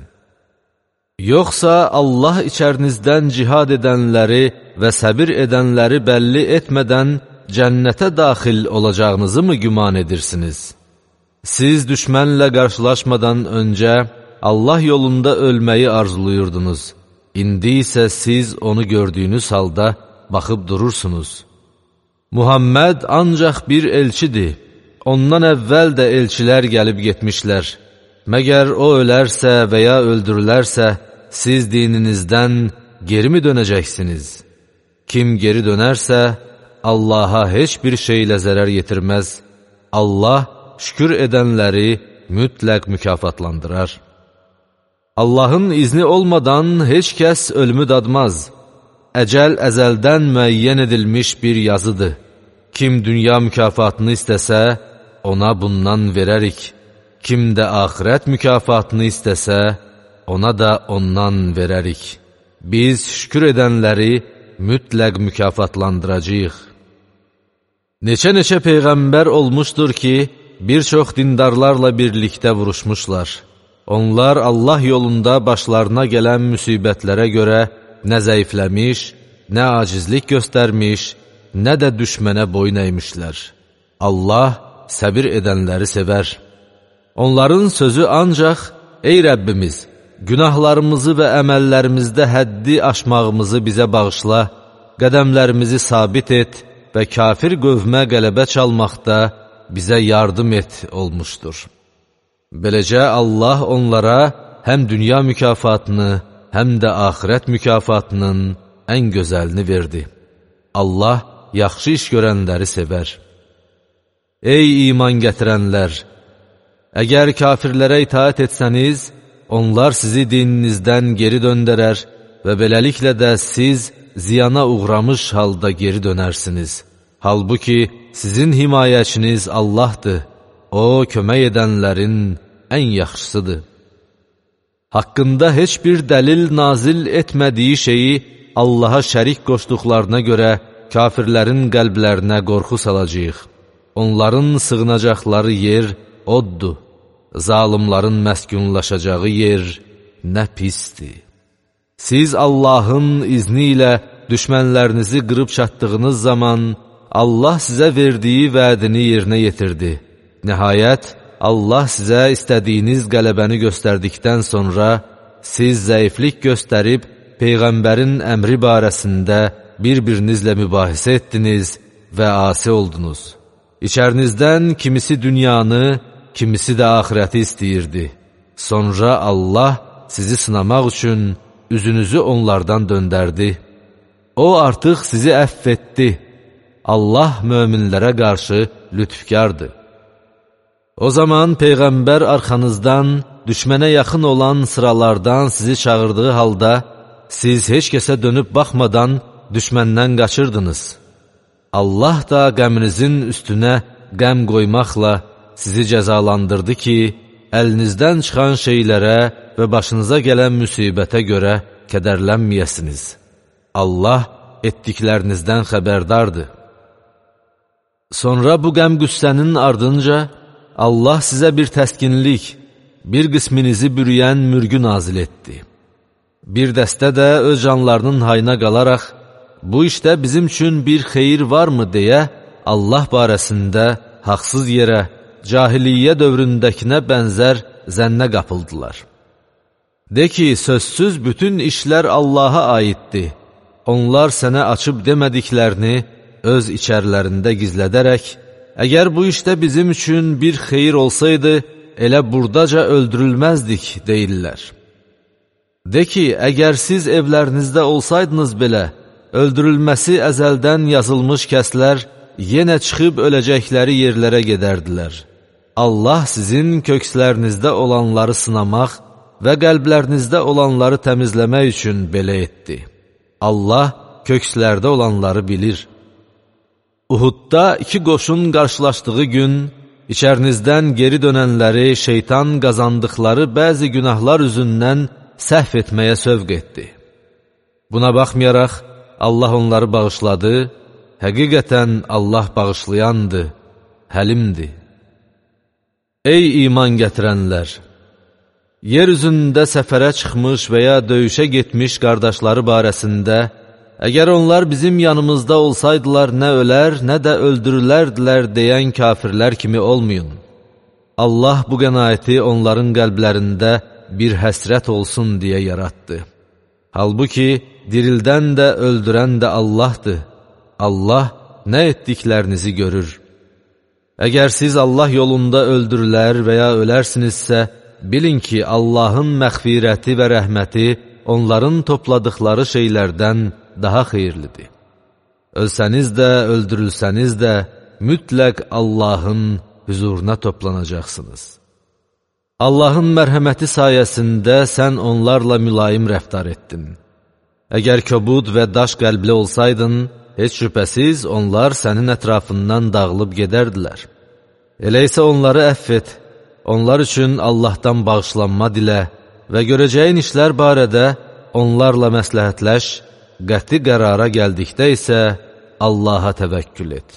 Yoxsa Allah içərinizdən cihad edənləri və səbir edənləri bəlli etmədən cənnətə daxil olacağınızı mı güman edirsiniz? Siz düşmənlə qarşılaşmadan öncə Allah yolunda ölməyi arzuluyurdunuz. İndi isə siz onu gördüyünüz halda baxıb durursunuz. Muhammed ancaq bir elçidir. Ondan əvvəl də elçilər gəlib getmişlər. Məgər o ölərsə və ya öldürülərsə, siz dininizdən geri mi dönəcəksiniz? Kim geri dönərsə, Allaha heç bir şeylə zərər yetirməz. Allah şükür edənləri mütləq mükafatlandırar. Allahın izni olmadan heç kəs ölümü dadmaz. Əcəl əzəldən müəyyən edilmiş bir yazıdır. Kim dünya mükafatını istəsə, ona bundan verərik. Kim də axirət mükafatını istəsə, ona da ondan verərik. Biz şükür edənləri mütləq mükafatlandıracağıq. Neçə-neçə peyğəmbər olmuşdur ki, bir çox dindarlarla birlikdə vuruşmuşlar. Onlar Allah yolunda başlarına gələn müsibətlərə görə nə zəifləmiş, nə acizlik göstərmiş, nə də düşmənə boyun əymişlər. Allah səbir edənləri sevər. Onların sözü ancaq, ey Rəbbimiz, günahlarımızı və əməllərimizdə həddi aşmağımızı bizə bağışla, qədəmlərimizi sabit et və kafir qövmə qələbə çalmaqda bizə yardım et olmuşdur. Beləcə Allah onlara həm dünya mükafatını, həm də axirət mükafatının ən gözəlini verdi. Allah yaxşı iş görənləri sevər. Ey iman gətirənlər! Əgər kafirlərə itaət etsəniz, onlar sizi dininizdən geri döndərər və beləliklə də siz ziyana uğramış halda geri dönərsiniz. Halbuki sizin himayəçiniz Allahdır, O kömək edənlərin ən yaxşısıdır. Haqqında heç bir dəlil nazil etmədiyi şeyi Allaha şərik qoşduqlarına görə kafirlərin qəlblərinə qorxu salacağıq. Onların sığınacaqları yer oddur. Zalimların məskunlaşacağı yer nə pisdir. Siz Allahın izni ilə düşmənlərinizi qırıb çatdığınız zaman Allah sizə verdiyi vədini yerinə yetirdi. Nəhayət, Allah sizə istədiyiniz qələbəni göstərdikdən sonra siz zəiflik göstərib Peyğəmbərin əmri barəsində bir-birinizlə mübahisə etdiniz və asi oldunuz. İçərinizdən kimisi dünyanı, kimisi də axirəti istəyirdi. Sonra Allah sizi sınamaq üçün üzünüzü onlardan döndərdi. O artıq sizi əff etdi. Allah möminlərə qarşı lütfkardır. O zaman Peyğəmbər arxanızdan, düşmənə yaxın olan sıralardan sizi çağırdığı halda, siz heç kəsə dönüb baxmadan düşməndən qaçırdınız. Allah da qəmrinizin üstünə qəm qoymaqla sizi cəzalandırdı ki, əlinizdən çıxan şeylərə və başınıza gələn müsibətə görə kədərlənməyəsiniz. Allah etdiklərinizdən xəbərdardır. Sonra bu qəm-qüssənin ardınca Allah sizə bir təskinlik, bir qisminizi bürüyən mürgü nazil etdi. Bir dəstə də öz canlarının hayına qalaraq, bu işdə bizim üçün bir xeyir varmı deyə Allah barəsində haqsız yerə, cahiliyyə dövründəkinə bənzər zənnə qapıldılar. De ki, sözsüz bütün işlər Allaha aiddir. Onlar sənə açıb demədiklərini öz içərlərində gizlədərək, əgər bu işdə bizim üçün bir xeyir olsaydı, elə buradaca öldürülməzdik, deyirlər. De ki, əgər siz evlərinizdə olsaydınız belə, öldürülməsi əzəldən yazılmış kəslər yenə çıxıb öləcəkləri yerlərə gedərdilər. Allah sizin kökslərinizdə olanları sınamaq və qəlblərinizdə olanları təmizləmək üçün belə etdi. Allah kökslərdə olanları bilir. Uhudda iki qoşun qarşılaşdığı gün, içərinizdən geri dönənləri şeytan qazandıqları bəzi günahlar üzündən səhv etməyə sövq etdi. Buna baxmayaraq, Allah onları bağışladı, həqiqətən Allah bağışlayandır, həlimdir. Ey iman gətirənlər! Yer üzündə səfərə çıxmış və ya döyüşə getmiş qardaşları barəsində, əgər onlar bizim yanımızda olsaydılar, nə ölər, nə də öldürülərdilər deyən kafirlər kimi olmayın. Allah bu qənaəti onların qəlblərində bir həsrət olsun deyə yaratdı. Halbuki, dirildən də, öldürən də Allahdır. Allah nə etdiklərinizi görür. Əgər siz Allah yolunda öldürülər və ya ölərsinizsə, bilin ki, Allahın məğfirəti və rəhməti onların topladıqları şeylərdən daha xeyirlidir. Ölsəniz də, öldürülsəniz də, mütləq Allahın huzuruna toplanacaqsınız. Allahın mərhəməti sayəsində sən onlarla mülayim rəftar etdin. Əgər köbud və daş qəlbli olsaydın, heç şübhəsiz onlar sənin ətrafından dağılıb gedərdilər. Elə isə onları əff et, onlar üçün Allahdan bağışlanma dilə və görəcəyin işlər barədə onlarla məsləhətləş, qəti qərara gəldikdə isə Allaha təvəkkül et.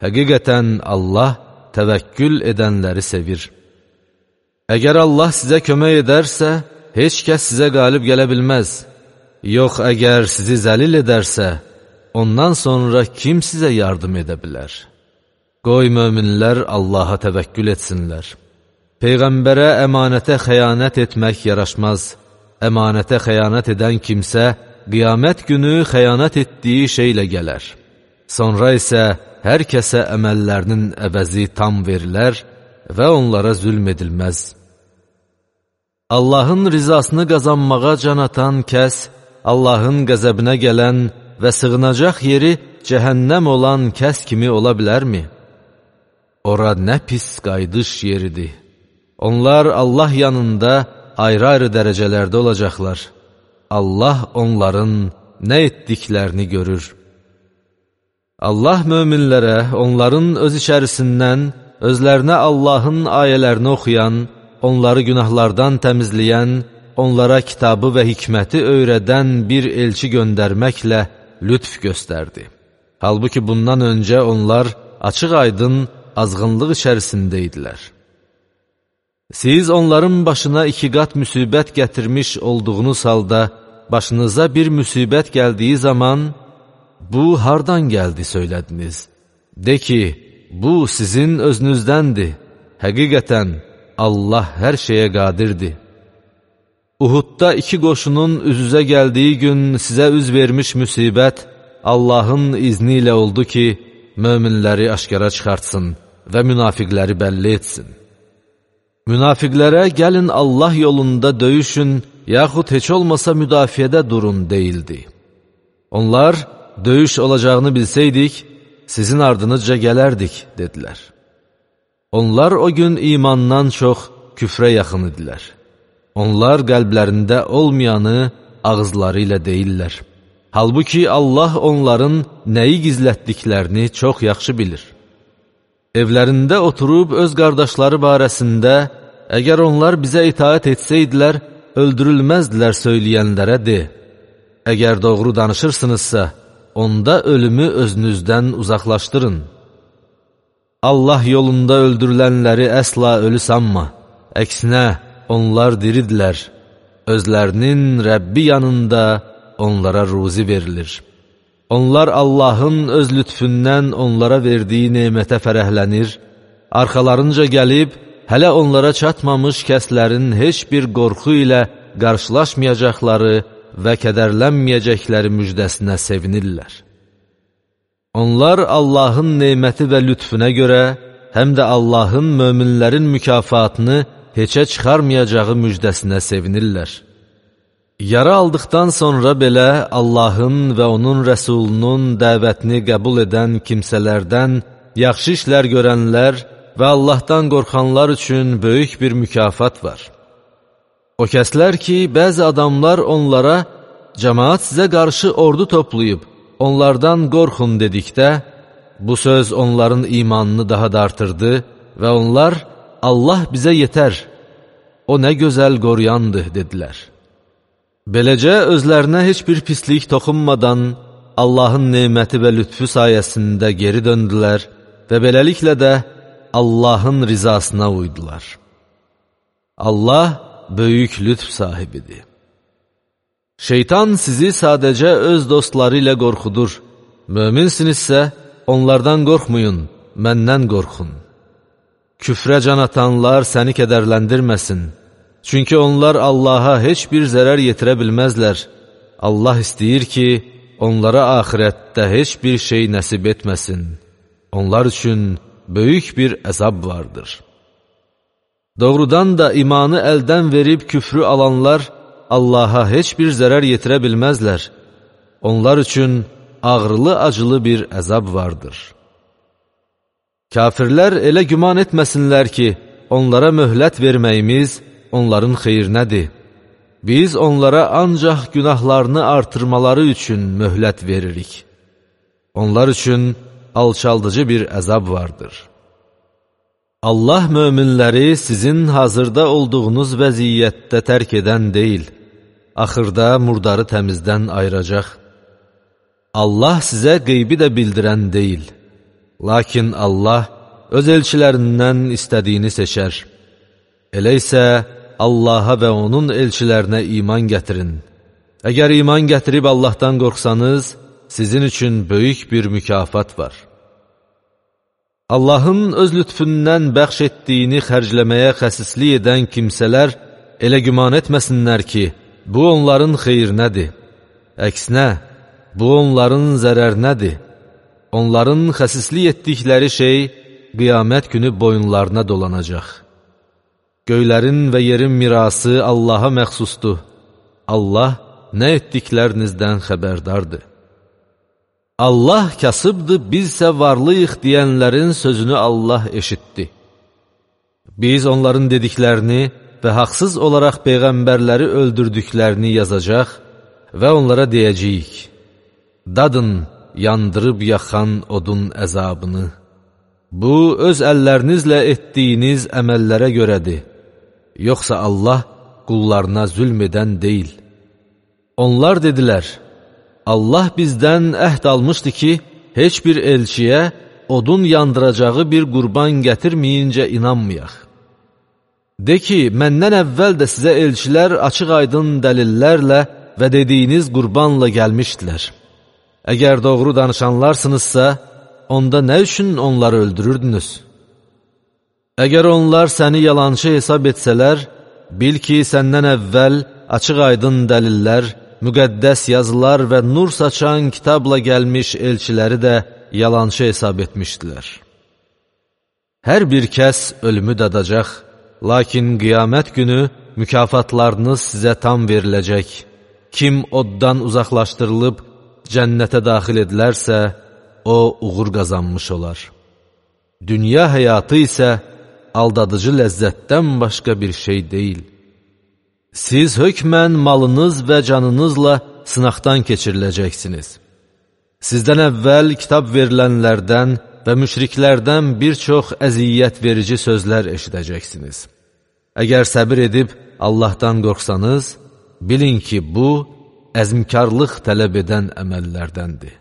Həqiqətən Allah təvəkkül edənləri sevir. Əgər Allah sizə kömək edərsə, heç kəs sizə qalib gələ bilməz. Yox, əgər sizi zəlil edərsə, ondan sonra kim sizə yardım edə bilər? Qoy möminlər Allaha təvəkkül etsinlər. Peyğəmbərə əmanətə xəyanət etmək yaraşmaz. Əmanətə xəyanət edən kimsə, qiyamət günü xəyanət etdiyi şeylə gələr. Sonra isə hər kəsə əməllərinin əvəzi tam verilər və onlara zülm edilməz. Allahın rizasını qazanmağa can atan kəs, Allahın qəzəbinə gələn və sığınacaq yeri cəhənnəm olan kəs kimi ola bilərmi? Ora nə pis qayıdış yeridir. Onlar Allah yanında ayrı-ayrı dərəcələrdə olacaqlar. Allah onların nə etdiklərini görür. Allah möminlərə, onların öz içərisindən, özlərinə Allahın ayələrini oxuyan, onları günahlardan təmizləyən, onlara kitabı və hikməti öyrədən bir elçi göndərməklə lütf göstərdi. Halbuki bundan öncə onlar açıq-aydın azğınlıq içərisində idilər. Siz onların başına iki qat müsibət gətirmiş olduğunuz halda, başınıza bir müsibət gəldiyi zaman, bu hardan gəldi söylədiniz? De ki, bu sizin özünüzdəndir. Həqiqətən, Allah hər şeyə qadirdir. Uhudda iki qoşunun üz-üzə gəldiyi gün sizə üz vermiş müsibət Allahın izni ilə oldu ki, möminləri aşkara çıxartsın və münafiqləri bəlli etsin. Münafiqlərə gəlin Allah yolunda döyüşün, yaxud heç olmasa müdafiədə durun deyildi. Onlar, döyüş olacağını bilsəydik, sizin ardınızca gələrdik, dedilər. Onlar o gün imandan çox küfrə yaxın idilər. Onlar qəlblərində olmayanı ağızları ilə deyirlər. Halbuki Allah onların nəyi gizlətdiklərini çox yaxşı bilir. Evlərində oturub öz qardaşları barəsində, əgər onlar bizə itaət etsəydilər, öldürülməzdilər söyləyənlərə de. Əgər doğru danışırsınızsa, onda ölümü özünüzdən uzaqlaşdırın. Allah yolunda öldürülənləri əsla ölü sanma. Əksinə, onlar diridilər. Özlərinin Rəbbi yanında onlara ruzi verilir. Onlar Allahın öz lütfündən onlara verdiyi nemətə fərəhlənir, arxalarınca gəlib, hələ onlara çatmamış kəslərin heç bir qorxu ilə qarşılaşmayacaqları və kədərlənməyəcəkləri müjdəsinə sevinirlər. Onlar Allahın neməti və lütfüne görə, həm də Allahın möminlərin mükafatını heçə çıxarmayacağı müjdəsinə sevinirlər. Yara aldıqdan sonra belə Allahın və onun rəsulunun dəvətini qəbul edən kimsələrdən yaxşı işlər görənlər və Allahdan qorxanlar üçün böyük bir mükafat var. O kəslər ki, bəzi adamlar onlara, cəmaat sizə qarşı ordu toplayıb, onlardan qorxun dedikdə, bu söz onların imanını daha da artırdı və onlar, Allah bizə yetər, o nə gözəl qoruyandır, dedilər. Beləcə, özlərinə heç bir pislik toxunmadan, Allahın neməti və lütfü sayəsində geri döndülər və beləliklə də Allahın rizasına uydular. Allah böyük lütf sahibidir. Şeytan sizi sadəcə öz dostları ilə qorxudur. Möminsinizsə, onlardan qorxmayın, məndən qorxun. Küfrə can atanlar səni kədərləndirməsin. Çünki onlar Allaha heç bir zərər yetirə bilməzlər. Allah istəyir ki, onlara axirətdə heç bir şey nəsib etməsin. Onlar üçün böyük bir əzab vardır. Doğrudan da imanı əldən verib küfrü alanlar Allaha heç bir zərər yetirə bilməzlər. Onlar üçün ağrılı-acılı bir əzab vardır. Kafirlər elə güman etməsinlər ki, onlara möhlət verməyimiz onların xeyrinədir. Biz onlara ancaq günahlarını artırmaları üçün möhlət veririk. Onlar üçün alçaldıcı bir əzab vardır. Allah möminləri sizin hazırda olduğunuz vəziyyətdə tərk edən deyil, axırda murdarı təmizdən ayıracaq. Allah sizə qeybi də bildirən deyil, lakin Allah öz elçilərindən istədiyini seçər. Elə isə Allaha və onun elçilərinə iman gətirin. Əgər iman gətirib Allahdan qorxsanız, sizin üçün böyük bir mükafat var. Allahın öz lütfündən bəxş etdiyini xərcləməyə xəsislik edən kimsələr elə güman etməsinlər ki, bu onların xeyrinədir. Əksinə, bu onların zərərinədir. Onların xəsislik etdikləri şey qiyamət günü boyunlarına dolanacaq. Göylərin və yerin mirası Allaha məxsusdur. Allah nə etdiklərinizdən xəbərdardır. Allah kasıbdır, bizsə varlıyıq deyənlərin sözünü Allah eşitdi. Biz onların dediklərini və haqsız olaraq peyğəmbərləri öldürdüklərini yazacaq və onlara deyəcəyik: dadın yandırıb yaxan odun əzabını. Bu, öz əllərinizlə etdiyiniz əməllərə görədir. Yoxsa Allah qullarına zülm edən deyil. Onlar dedilər: Allah bizdən əhd almışdı ki, heç bir elçiyə odun yandıracağı bir qurban gətirməyincə inanmayaq. De ki, məndən əvvəl də sizə elçilər açıq aydın dəlillərlə və dediyiniz qurbanla gəlmişdilər. Əgər doğru danışanlarsınızsa, onda nə üçün onları öldürürdünüz? Əgər onlar səni yalançı hesab etsələr, bil ki, səndən əvvəl açıq aydın dəlillər, müqəddəs yazılar və nur saçan kitabla gəlmiş elçiləri də yalançı hesab etmişdilər. Hər bir kəs ölümü dadacaq, lakin qiyamət günü mükafatlarınız sizə tam veriləcək. Kim oddan uzaqlaşdırılıb cənnətə daxil edilərsə, o uğur qazanmış olar. Dünya həyatı isə aldadıcı ləzzətdən başqa bir şey deyil. Siz hökmən malınız və canınızla sınaqdan keçiriləcəksiniz. Sizdən əvvəl kitab verilənlərdən və müşriklərdən bir çox əziyyət verici sözlər eşidəcəksiniz. Əgər səbir edib Allahdan qorxsanız, bilin ki, bu, əzmkarlıq tələb edən əməllərdəndir.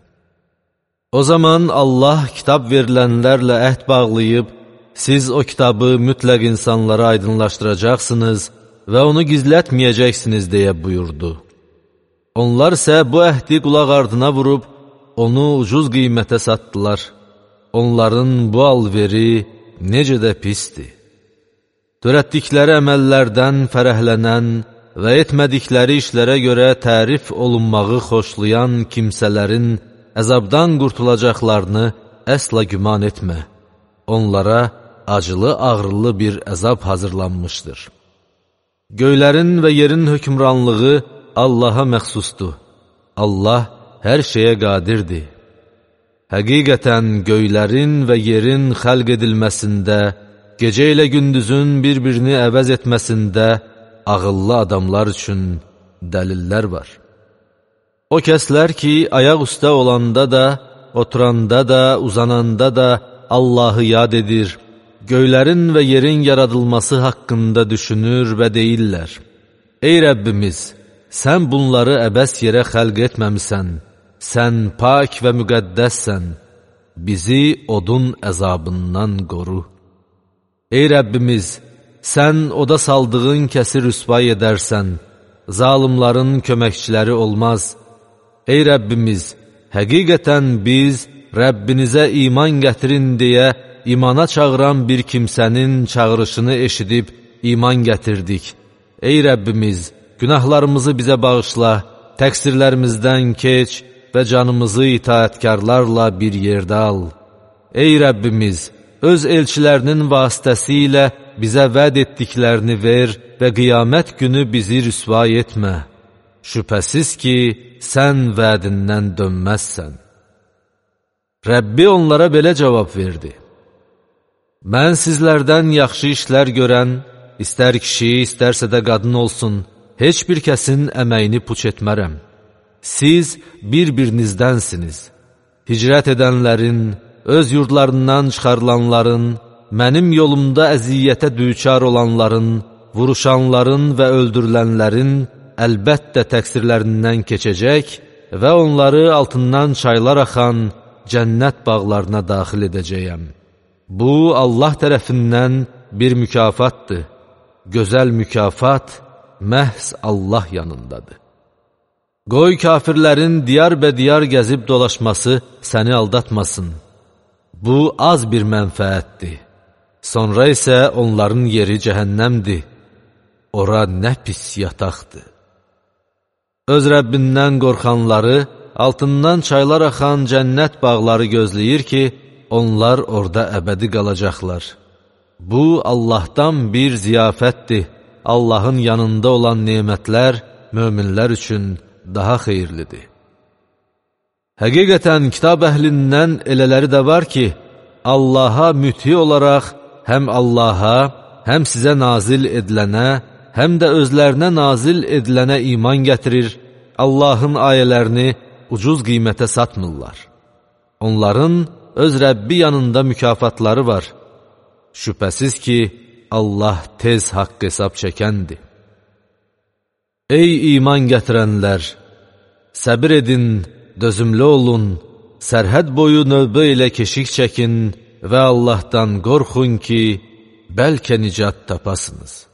O zaman Allah kitab verilənlərlə əhd bağlayıb, siz o kitabı mütləq insanlara aydınlaşdıracaqsınız və onu gizlətməyəcəksiniz deyə buyurdu. Onlar isə bu əhdi qulaq ardına vurub, onu ucuz qiymətə satdılar. Onların bu alveri necə də pisdir. Törətdikləri əməllərdən fərəhlənən və etmədikləri işlərə görə tərif olunmağı xoşlayan kimsələrin əzabdan qurtulacaqlarını əsla güman etmə. Onlara acılı-ağrılı bir əzab hazırlanmışdır. Göylərin və yerin hökmranlığı Allaha məxsusdur. Allah hər şeyə qadirdir. Həqiqətən göylərin və yerin xəlq edilməsində, gecə ilə gündüzün bir-birini əvəz etməsində ağıllı adamlar üçün dəlillər var. O kəslər ki, ayaq üstə olanda da, oturanda da, uzananda da Allahı yad edir, göylərin və yerin yaradılması haqqında düşünür və deyirlər: Ey Rəbbimiz, sən bunları əbəs yerə xəlq etməmisən, sən pak və müqəddəssən, bizi odun əzabından qoru. Ey Rəbbimiz, sən oda saldığın kəsi rüsvay edərsən, zalimların köməkçiləri olmaz. Ey Rəbbimiz, həqiqətən biz Rəbbinizə iman gətirin deyə imana çağıran bir kimsənin çağırışını eşidib iman gətirdik. Ey Rəbbimiz, günahlarımızı bizə bağışla, təqsirlərimizdən keç və canımızı itaətkarlarla bir yerdə al. Ey Rəbbimiz, öz elçilərinin vasitəsilə bizə vəd etdiklərini ver və qiyamət günü bizi rüsvay etmə. Şübhəsiz ki, sən vədindən dönməzsən. Rəbbi onlara belə cavab verdi: Mən sizlərdən yaxşı işlər görən, istər kişi, istərsə də qadın olsun, heç bir kəsin əməyini puç etmərəm. Siz bir-birinizdənsiniz. Hicrət edənlərin, öz yurdlarından çıxarılanların, mənim yolumda əziyyətə düçar olanların, vuruşanların və öldürülənlərin əlbəttə təqsirlərindən keçəcək və onları altından çaylar axan cənnət bağlarına daxil edəcəyəm. Bu, Allah tərəfindən bir mükafatdır. gözəl mükafat məhz Allah yanındadır. Qoy kafirlərin diyar-bədiyar gəzib dolaşması səni aldatmasın. Bu az bir mənfəətdir. Sonra isə onların yeri cəhənnəmdir. Ora nə pis yataqdır. Öz Rəbbindən qorxanları, altından çaylar axan cənnət bağları gözləyir ki, onlar orada əbədi qalacaqlar. Bu, Allahdan bir ziyafətdir. Allahın yanında olan nemətlər möminlər üçün daha xeyirlidir. Həqiqətən, kitab əhlindən elələri də var ki, Allaha müti olaraq həm Allaha, həm sizə nazil edilənə, həm də özlərinə nazil edilənə iman gətirir, Allahın ayələrini ucuz qiymətə satmırlar. Onların öz Rəbbi yanında mükafatları var. Şübhəsiz ki, Allah tez haqq hesab çəkəndir. Ey iman gətirənlər! Səbir edin, dözümlü olun, sərhəd boyu növbə ilə keşik çəkin və Allahdan qorxun ki, bəlkə nicat tapasınız.